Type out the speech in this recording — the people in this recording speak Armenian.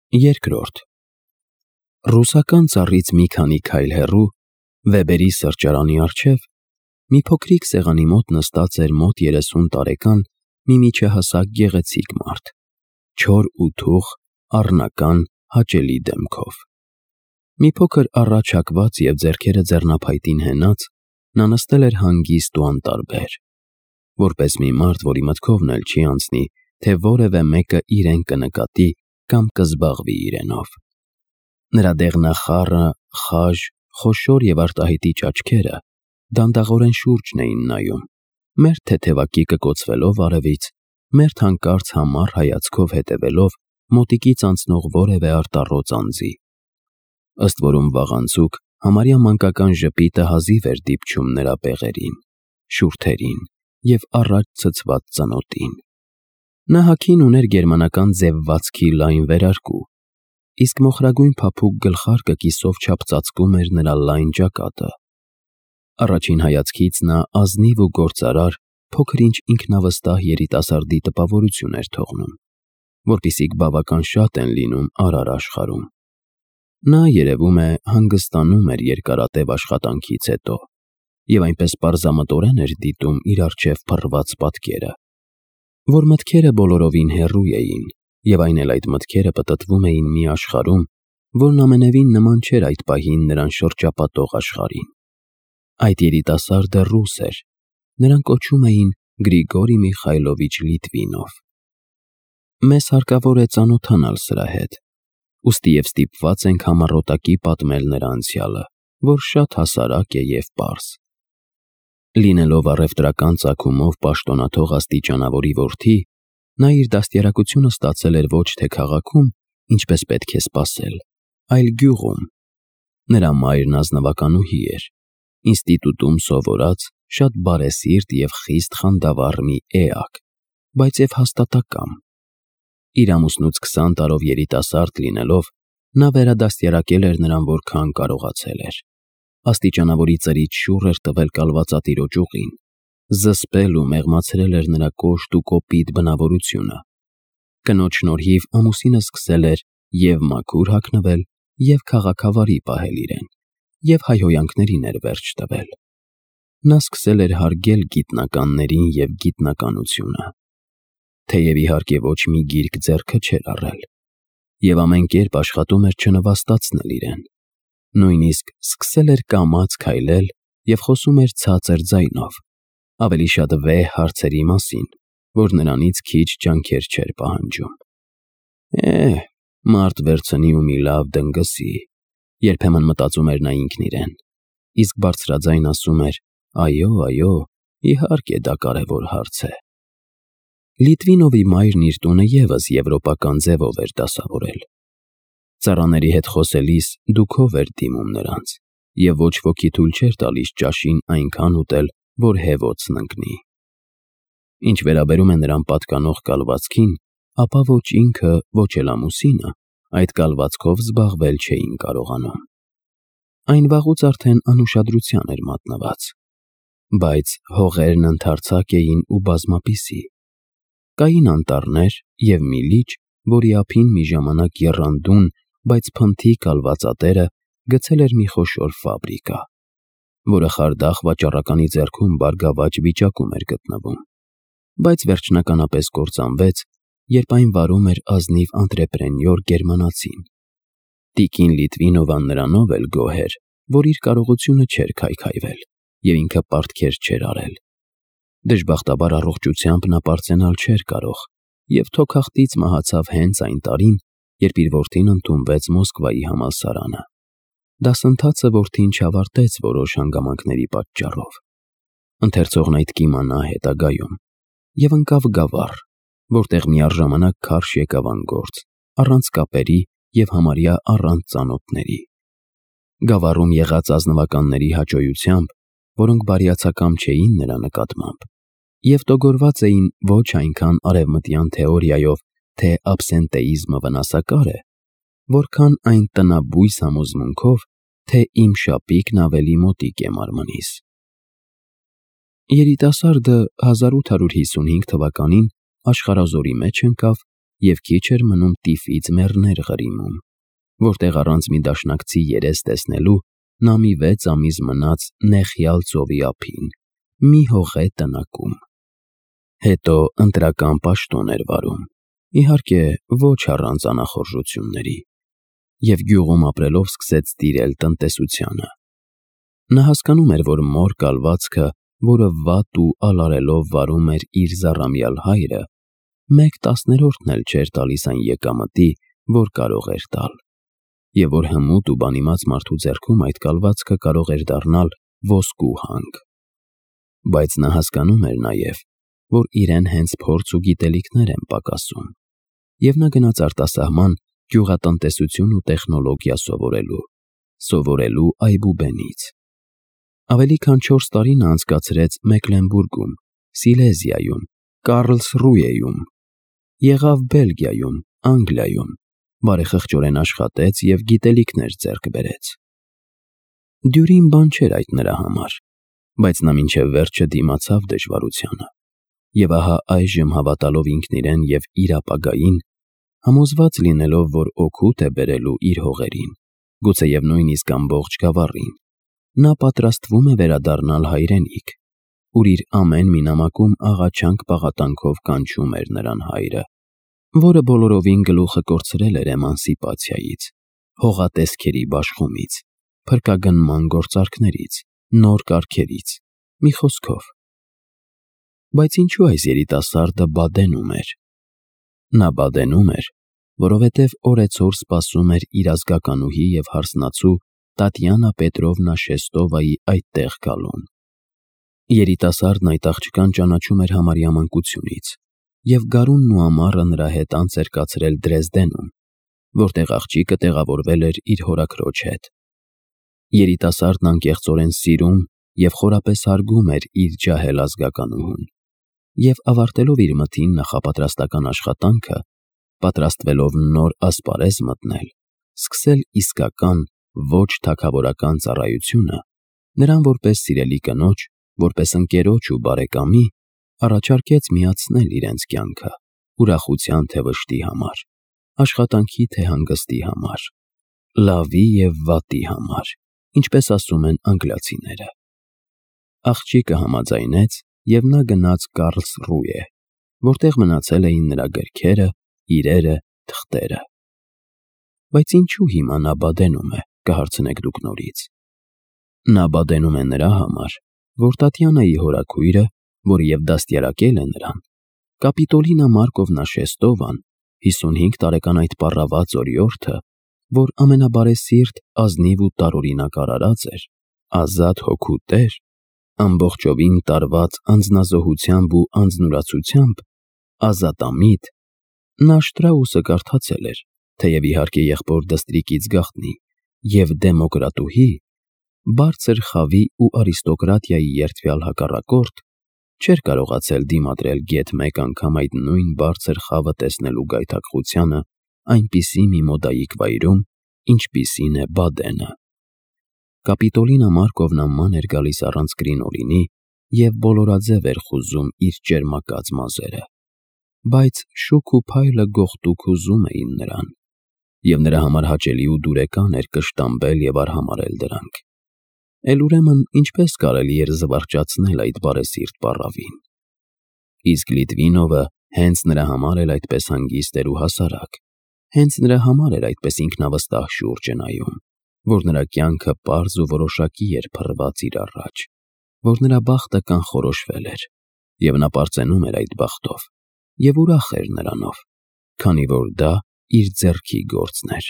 Երկրորդ Ռուսական ծառից մի քանի քայլ հեռու, Վեբերի սրճարանի առջև, մի փոքրիկ սեղանի մոտ նստած էր մոտ 30 տարեկան մի միջահասակ գեղեցիկ մարդ, չոր ու թուխ, առնական, հաճելի դեմքով։ Մի փոքր առաջ հակված և ձեռքերը ձեռնափայտին հենած, նա նստել էր հանգիստ ու անտարբեր, որպես մի մարդ, որի մտքովն էլ չի անցնի, թե որևէ մեկը իրեն կնկատի կամ կզբաղվի իրենով։ Նրա դեղնախառը, խաժ, խոշոր և արտահայտիչ աչքերը դանդաղորեն շուրջն էին նայում, մերթ թեթևակի կկոցվելով արևից, մերթ հանկարծ համառ հայացքով հետևելով մոտիկից անցնող որևէ արտառոց անձի։ Ըստ որում վաղանցուկ, համարյա մանկական ժպիտը հազիվ էր դիպչում նրա բեղերին, շուրթերին և առաջ ցցված ծնոտին։ Նա հագին ուներ գերմանական ձևվածքի լայն վերարկու, իսկ մոխրագույն փափուկ գլխարկը կիսով չափ ծածկում էր նրա լայն ճակատը։ Առաջին հայացքից նա ազնիվ ու գործարար, փոքր-ինչ ինքնավստահ երիտասարդի տպավորություն էր թողնում, որպիսիք բավական շատ են լինում արար աշխարհում։ Նա, երևում է, հանգստանում էր երկարատև աշխատանքից հետո և այնպես պարզամտորեն էր դիտում իր առջև փռված պատկերը, որ մտքերը բոլորովին հեռու էին, և այն էլ այդ մտքերը պտտվում էին մի աշխարհում, որն ամենևին նման չէր այդ պահին նրան շրջապատող աշխարհին։ Այդ երիտասարդը ռուս էր, նրան կոչում էին Գրիգորի Միխայլովիչ Լիտվինով։ Մեզ հարկավոր է ծանոթանալ սրա հետ, ուստի և ստիպված ենք համառոտակի պատմել նրա անցյալը, որ շատ հասարակ է և պարզ։ Լինելով առևտրական ծագումով պաշտոնաթող աստիճանավորի որդի, նա իր դաստիարակությունը ստացել էր ոչ թե քաղաքում, ինչպես պետք է սպասել, այլ գյուղում։ Նրա մայրն ազնվականուհի էր, ինստիտուտում սովորած, շատ բարեսիրտ և խիստ խանդավառ մի էակ, բայց և հաստատակամ։ Իր ամուսնուց 20 տարով երիտասարդ լինելով, նա վերադաստիարակել էր նրան որքան կարողացել էր։ Աստիճանավորի ծրիչ շուռ էր տվել կալվածատիրոջ ուղին, զսպել ու մեղմացրել էր նրա կոշտ ու կոպիտ բնավորությունը։ Կնոջ շնորհիվ ամուսինը սկսել էր և մաքուր հագնվել, և քաղաքավարի պահել իրեն, և հայհոյանքներին էր վերջ տվել։ Նա սկսել էր հարգել գիտնականներին և գիտնականությունը, թեև իհարկե ոչ մի գիրք ձեռքը չէր առել, և ամեն կերպ աշխատում էր չնվաստացնել իրեն, նույնիսկ սկսել էր կամաց քայլել և խոսում էր ցածր ձայնով, ավելի շատ վեհ հարցերի մասին, որ նրանից քիչ ջանքեր չէր պահանջում։ Մարդ վերցնի ու մի լավ դնգսի, երբեմն մտածում էր նա ինքն իրեն, իսկ բարձրաձայն ասում էր. այո, իհարկե դա կարևոր հարց է։ Լիտվինովի մայրն իր տունը ևս եվրոպական ձևով էր դասավորել։ Ծառաների հետ խոսելիս դուքով էր դիմում նրանց, և ոչ ոքի թույլ չէր տալիս ճաշին այնքան ուտել, որ հեվոցն ընկնի։ Ինչ վերաբերում է նրան պատկանող կալվածքին, ապա ոչ ինքը, ոչ էլ ամուսինը այդ կալվածքով զբաղվել չէին կարողանում։ Այն վաղուց արդեն անուշադրության էր մատնված, բայց հողերն ընդարձակ էին ու բազմապիսի։ Կային անտառներ և մի լիճ, որի ափին մի ժամանակ եռանդուն, բայց փնթի կալվածատերը գցել էր մի խոշոր ֆաբրիկա, որը խարդախ վաճառականի ձեռքում բարգավաճ վիճակում էր գտնվում, բայց վերջնականապես կործանվեց, երբ այն վարում էր ազնիվ անտրեպրենյոր գերմանացին։ Տիկին Լիտվինովան նրանով էլ գոհ էր, որ իր կարողությունը չէր քայքայվել, և ինքը պարտքեր չէր արել։ Դժբախտաբար առողջությամբ նա պարծենալ չէր կարող, և թոքախտից մահացավ հենց այն տարին, երբ իր որդին ընդունվեց Մոսկվայի համալսարանը։ Դասընթացը որդին չավարտեց որոշ հանգամանքների պատճառով։ Ընթերցողն այդ կիմանա հետագայում, և ընկավ Գավառ, որտեղ միառժամանակ քարշ եկավ անգործ, առանց կապերի և համարյա առանց ծանոթների։ Գավառում եղած ազնվականների հաճոյությամբ, որոնք բարյացակամ չէին նրա նկատմամբ, և տոգորված էին ոչ այնքան արևմտյան թեորիայով, թե աբսենտեիզմը վնասակար է, որքան այն տնաբույս համոզմունքով, թե իմ շապիկն ավելի մոտիկ է մարմնիս։ Երիտասարդը 1855 թվականին աշխարհազորի մեջ ընկավ և քիչ էր մնում տիֆից մեռներ ղրիմում, որտեղ առանց մի դաշնակցի երես տեսնելու նա մի 6 ամիս մնաց նեխյալ ծովի ափին, մի հողե տնակում։ Հետո ընտրական պաշտոն էր վարում, իհարկե ոչ առանց անախորժությունների, և գյուղում ապրելով սկսեց տիրել տնտեսությանը։ Նա հասկանում էր, որ մոր կալվածքը, որը վատ ու ալարելով վարում էր իր զառամյալ հայրը, 1/10 էլ չէր տալիս այն եկամտի, որ կարող էր տալ, և որ հմուտ ու բանիմաց մարդու ձեռքում այդ կալվածքը կարող էր դառնալ ոսկու հանք։ Բայց նա հասկանում էր նաև, որ իրեն հենց փորձ ու գիտելիքներ են պակասում, և նա գնաց արտասահման գյուղատնտեսություն ու տեխնոլոգիա սովորելու այբուբենից։ Ավելի քան 4 տարի նա անցկացրեց Մեկլենբուրգում, Սիլեզիայում, Կարլսրուհեում, եղավ Բելգիայում, Անգլիայում, բարեխղճորեն աշխատեց և գիտելիքներ ձեռք բերեց։ Դյուրին բան չէր այդ նրա համար, բայց նա մինչև վերջը դիմացավ դժվարությանը, և ահա այժմ հավատալով ինքն իրեն և իր ապագային, համոզված լինելով, որ օգուտ է բերելու իր հողերին, գուցեև նույնիսկ ամբողջ գավառին, նա պատրաստվում է վերադառնալ հայրենիք, ուր իր ամեն մի նամակում աղաչանք պաղատանքով կանչում էր նրան հայրը, որը բոլորովին գլուխը կորցրել էր էմանսիպացիայից, հողատեսքերի բաշխումից, փրկագնման գործարքներից, նոր կարգերից, մի խոսքով։ Բայց ինչու այս երիտասարդը բադենում էր։ Նա բադենում էր, որովհետև օրեցօր սպասում էր իր ազգականուհի և հարսնացու Տատյանա Պետրովնա Շեստովայի այդտեղ գալուն։ Երիտասարդն այդ աղջկան ճանաչում էր համարյա մանկությունից, և գարունն ու ամառը նրա հետ անց էր կացրել Դրեզդենում, որտեղ աղջիկը տեղավորվել էր իր հորաքրոջ հետ։ Երիտասարդն անկեղծորեն սիրում և խորապես հարգում էր իր ջահել ազգականուհուն, և ավարտելով իր մթին նախապատրաստական աշխատանքը, պատրաստվելով նոր ասպարեզ մտնել, սկսել իսկական, ոչ թագավորական ծառայությունը, նրան որպես սիրելի կնոջ, որպես ընկերոջ ու բարեկամի, առաջարկեց միացնել իրենց կյանքը ուրախության թե վշտի համար, աշխատանքի թե հանգստի համար, լավի և վատի համար, ինչպես ասում են անգլիացիները։ Աղջիկը համաձայնեց, և նա գնաց Կարլսրուհե, որտեղ մնացել էին նրա գրքերը, իրերը, թղթերը։ Բայց ինչու հիմա նա բադենում է, կհարցնեք դուք նորից։ Նա բադենում է նրա համար, որ Տատյանայի հորաքույրը, որը և դաստիարակել է նրան, Կապիտոլինա Մարկովնա Շեստովան, 55 տարեկան այդ պառաված օրիորդը, որ ամենաբարեսիրտ, ազնիվ ու տարօրինակ արարած էր, ազատ հոգու տեր, ամբողջովին տարված անձնազոհությամբ ու անձնուրացությամբ, ազատամիտ, նա Շտրաուսը կարդացել էր, թեև իհարկե եղբոր դստրիկից գաղտնի, և դեմոկրատուհի, բարձր խավի ու արիստոկրատիայի երդվյալ հակառակորդ, չէր կարողացել դիմադրել գեթ մեկ անգամ այդ նույն բարձր խավը տեսնելու գայթակղությանը այնպիսի մի մոդայիկ վայրում, ինչպիսին է Բադենը։ Կապիտոլինա Մարկովնա ման էր գալիս առանց կրինոլինի և բոլորաձև էր խուզում իր ճերմակած մազերը, բայց շուք ու փայլը գողտուկ հուզում էին նրան, և նրա համար հաճելի ու դուրեկան էր կշտամբել և արհամարհել դրանք։ Էլ ուրեմն ինչպես կարելի էր զվարճացնել այդ բարեսիրտ պառավին։ Իսկ Լիտվինովը հենց նրա համար էլ այդպես հանգիստ էր ու հասարակ, հենց նրա համար էր այդպես ինքնավստահ շուրջը նայում, որ նրա կյանքը պարզ ու որոշակի էր փռված իր առաջ, որ նրա բախտը կանխորոշվել էր, և նա պարծենում էր այդ բախտով, և ուրախ էր նրանով, քանի որ դա իր ձեռքի գործն էր։